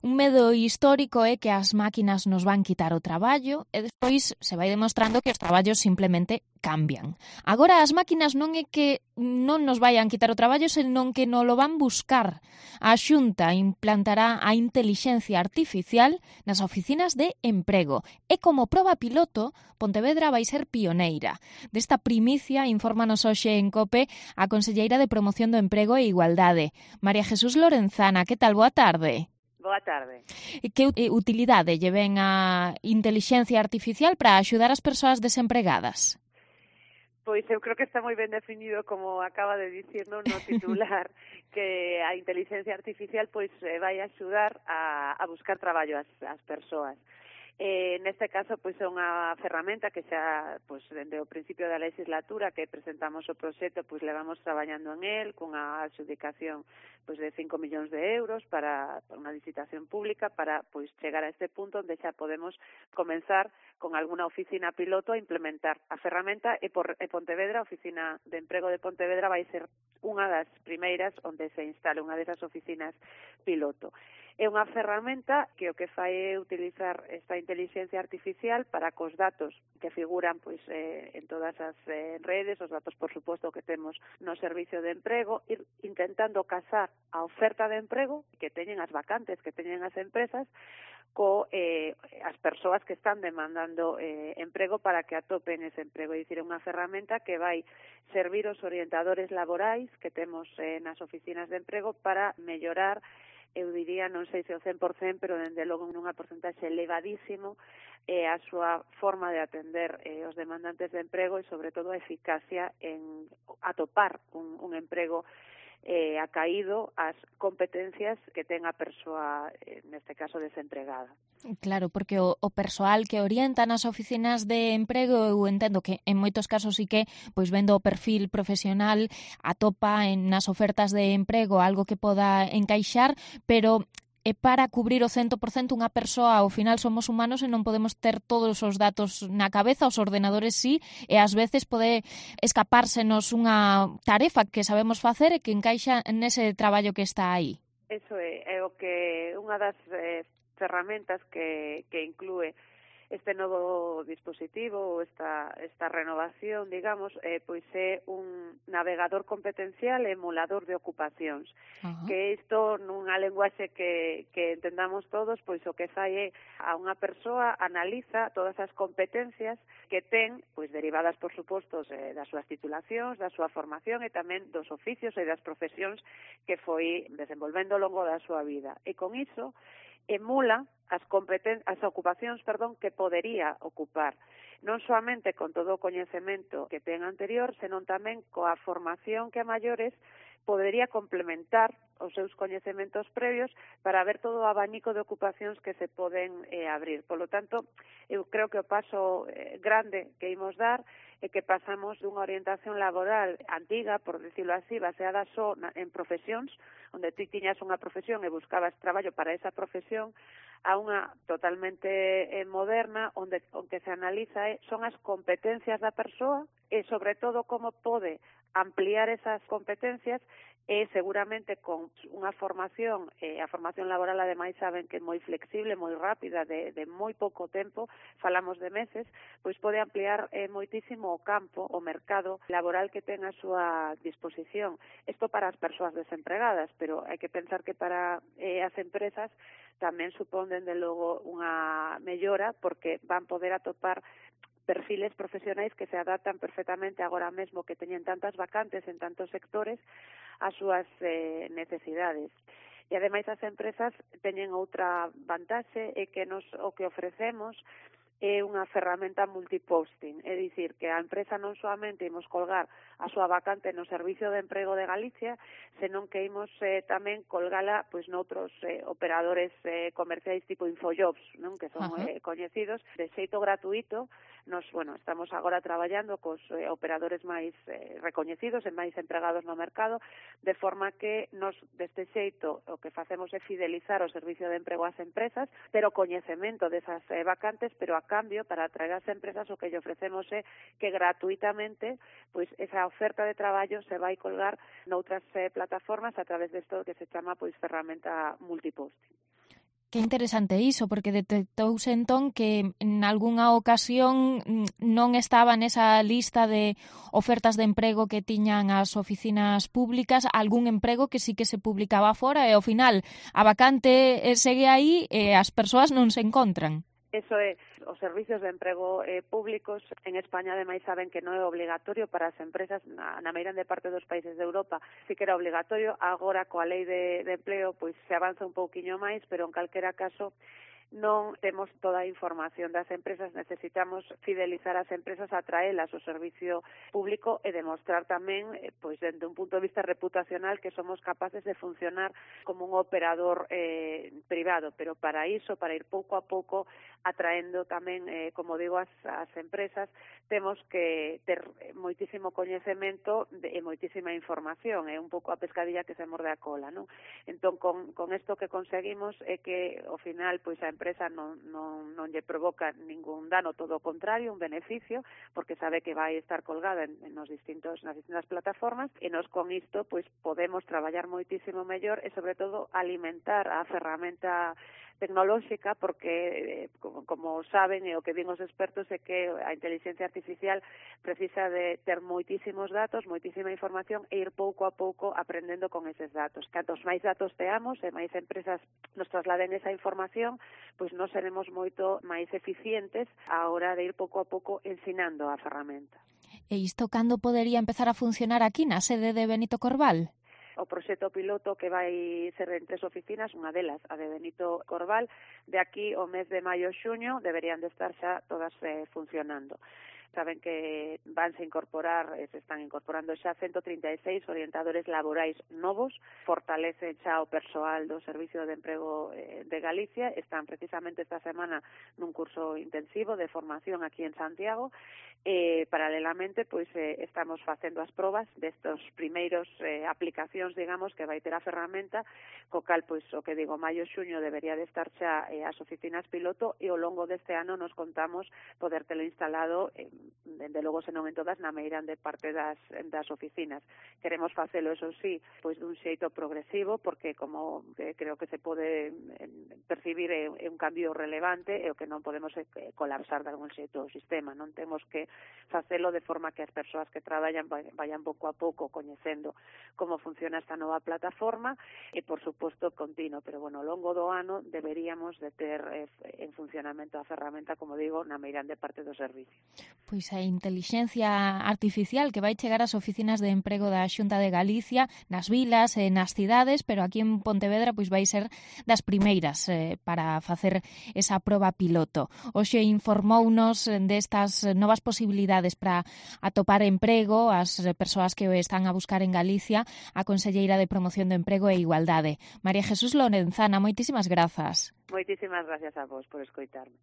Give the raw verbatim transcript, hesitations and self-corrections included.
Un medo histórico é que as máquinas nos van quitar o traballo e despois se vai demostrando que os traballos simplemente cambian. Agora as máquinas non é que non nos vayan quitar o traballo, senón que non lo van buscar. A Xunta implantará a intelixencia artificial nas oficinas de emprego e como proba piloto, Pontevedra vai ser pioneira. Desta primicia infórmanos hoxe en COPE a conselleira de Promoción do Emprego e Igualdade, María Jesús Lorenzana. Que tal? Boa tarde. Boa tarde. Que utilidade lle ven a intelixencia artificial para axudar as persoas desempregadas? Pois eu creo que está moi ben definido, como acaba de dicir no, no titular, que a intelixencia artificial pois vai axudar a, a buscar traballo ás, ás persoas. Eh, neste caso, pois é unha ferramenta que xa, pois, dende o principio da legislatura que presentamos o proxecto, pois levamos traballando en el, cunha adxudicación pois de cinco millóns de euros para, para unha licitación pública para pois chegar a este punto onde xa podemos comenzar con alguna oficina piloto a implementar a ferramenta e por e Pontevedra, a Oficina de Emprego de Pontevedra vai ser unha das primeiras onde se instale unha desas oficinas piloto. É unha ferramenta que o que fai é utilizar esta intelixencia artificial para que os datos que figuran pois eh, en todas as eh, redes, os datos, por suposto, que temos no servicio de emprego, ir intentando casar a oferta de emprego que teñen as vacantes, que teñen as empresas, co eh, as persoas que están demandando eh, emprego para que atopen ese emprego. É dicir, é unha ferramenta que vai servir os orientadores laborais que temos eh, nas oficinas de emprego para mellorar, eu diría, non sei se o cen por cen, pero dende logo nunha porcentaxe elevadísimo eh, a súa forma de atender eh, os demandantes de emprego e, sobre todo, a eficacia en atopar un, un emprego eh, acaído ás competencias que ten a persoa, eh, neste caso, desempregada. Claro, porque o, o persoal que orienta nas oficinas de emprego, eu entendo que en moitos casos sí que, pois vendo o perfil profesional, atopa en nas ofertas de emprego algo que poda encaixar, pero é para cubrir o cento por cento unha persoa. Ao final somos humanos e non podemos ter todos os datos na cabeza, os ordenadores sí, e ás veces pode escapársenos unha tarefa que sabemos facer e que encaixa nese traballo que está aí. Eso é, é o que unha das eh, ferramentas que, que inclúe este novo dispositivo, esta, esta renovación, digamos, eh, pois é un navegador competencial e emulador de ocupacións. Uh-huh. Que isto, nunha lenguaxe que, que entendamos todos, pois o que fai é a unha persoa analiza todas as competencias que ten, pois derivadas, por suposto, eh, das súas titulacións, da súa formación e tamén dos oficios e das profesións que foi desenvolvendo ao longo da súa vida. E con iso emula as competen as ocupacións, perdón, que podería ocupar, non soamente con todo o coñecemento que ten anterior, senón tamén coa formación que a maiores podería complementar os seus coñecementos previos para ver todo o abanico de ocupacións que se poden eh, abrir. Por lo tanto, eu creo que o paso eh, grande que imos dar é que pasamos dunha orientación laboral antiga, por decirlo así, baseada só na, en profesións, onde ti tiñas unha profesión e buscabas traballo para esa profesión, a unha totalmente eh, moderna, onde o que se analiza é, son as competencias da persoa e, sobre todo, como pode ampliar esas competencias e seguramente con unha formación, eh, a formación laboral ademais saben que é moi flexible, moi rápida, de, de moi pouco tempo, falamos de meses, pois pode ampliar eh, moitísimo o campo, o mercado laboral que ten a súa disposición. Isto para as persoas desempregadas, pero hai que pensar que para eh, as empresas tamén supón, dende logo, unha mellora porque van poder atopar perfiles profesionais que se adaptan perfectamente agora mesmo que teñen tantas vacantes en tantos sectores ás súas eh, necesidades. E ademais as empresas teñen outra vantaxe, é que nos o que ofrecemos é unha ferramenta multiposting, é dicir, que a empresa non solamente imos colgar a súa vacante no Servicio de Emprego de Galicia, senón que imos eh, tamén colgala pois noutros eh, operadores eh, comerciais tipo Infojobs, non? Que son eh, coñecidos de xeito gratuito. Nos, bueno, estamos agora traballando cos eh, operadores máis eh, recoñecidos e máis empregados no mercado, de forma que nos deste xeito o que facemos é fidelizar o Servicio de Emprego ás empresas, pero coñecemento desas eh, vacantes, pero a cambio, para atraer as empresas, o que lle ofrecemos é que gratuitamente pois esa oferta de traballo se vai colgar noutras eh, plataformas a través desto que se chama pois ferramenta multiposting. Que interesante iso, porque detectouse entón que en algunha ocasión non estaba nesa lista de ofertas de emprego que tiñan as oficinas públicas algún emprego que sí que se publicaba fora e ao final a vacante segue aí e as persoas non se encontran. Eso é, os servicios de emprego eh, públicos en España ademais saben que non é obligatorio para as empresas, na, na meirande parte dos países de Europa sí que era obligatorio, agora coa lei de, de empleo pois se avanza un pouquiño máis, pero en calquera caso non temos toda a información das empresas, necesitamos fidelizar as empresas, atraelas ao servicio público e demostrar tamén, pois dende un punto de vista reputacional, que somos capaces de funcionar como un operador eh, privado, pero para iso, para ir pouco a pouco atraendo tamén, eh, como digo, as, as empresas, temos que ter moitísimo coñecemento e moitísima información, é un pouco a pescadilla que se morde a cola, non? Entón, con, con isto que conseguimos é que, ao final, pois a empresa non, non, non lle provoca ningún dano, todo o contrario, un beneficio, porque sabe que vai estar colgada en, en nos distintos, nas distintas plataformas, e nos con isto pois podemos traballar moitísimo mellor e, sobre todo, alimentar a ferramenta tecnolóxica, porque, como, como saben, e o que din os expertos é que a inteligencia artificial precisa de ter moitísimos datos, moitísima información e ir pouco a pouco aprendendo con eses datos. Cantos máis datos teamos e máis empresas nos trasladen esa información, pois nós seremos moito máis eficientes á hora de ir pouco a pouco ensinando a ferramenta. E isto cando podería empezar a funcionar aquí na sede de Benito Corval? O proxecto piloto que vai ser en tres oficinas, unha delas, a de Benito Corval, de aquí ao mes de maio e xuño deberían de estar xa todas eh, funcionando. Saben que vanse incorporar, se están incorporando xa ciento trinta e seis orientadores laborais novos, fortalecen xa o persoal do Servicio de Emprego de Galicia, están precisamente esta semana nun curso intensivo de formación aquí en Santiago, e paralelamente pois eh, estamos facendo as probas destos primeiros eh, aplicacións, digamos, que vai ter a ferramenta, co cal, pois, o que digo, maio e xuño debería de estar xa eh, as oficinas piloto, e ao longo deste ano nos contamos poder telo instalado eh, dende logo se non en todas, na meirande parte das, das oficinas. Queremos facelo, eso sí, pois dun xeito progresivo, porque como eh, creo que se pode eh, percibir é, é un cambio relevante e o que non podemos é colapsar de algún xeito o sistema, non temos que facelo de forma que as persoas que traballan vayan pouco a pouco coñecendo como funciona esta nova plataforma e, por suposto, continuo, pero, bueno, ao longo do ano deberíamos de ter eh, en funcionamento a ferramenta, como digo, na meirande parte do servicio. Pois a intelixencia artificial que vai chegar ás oficinas de emprego da Xunta de Galicia, nas vilas e nas cidades, pero aquí en Pontevedra pois vai ser das primeiras eh, para facer esa proba piloto. Hoxe informounos destas novas posibilidades para atopar emprego as persoas que o están a buscar en Galicia, a Conselleira de Promoción do Emprego e Igualdade. María Jesús Lorenzana, moitísimas grazas. Moitísimas gracias a vos por escoitarme.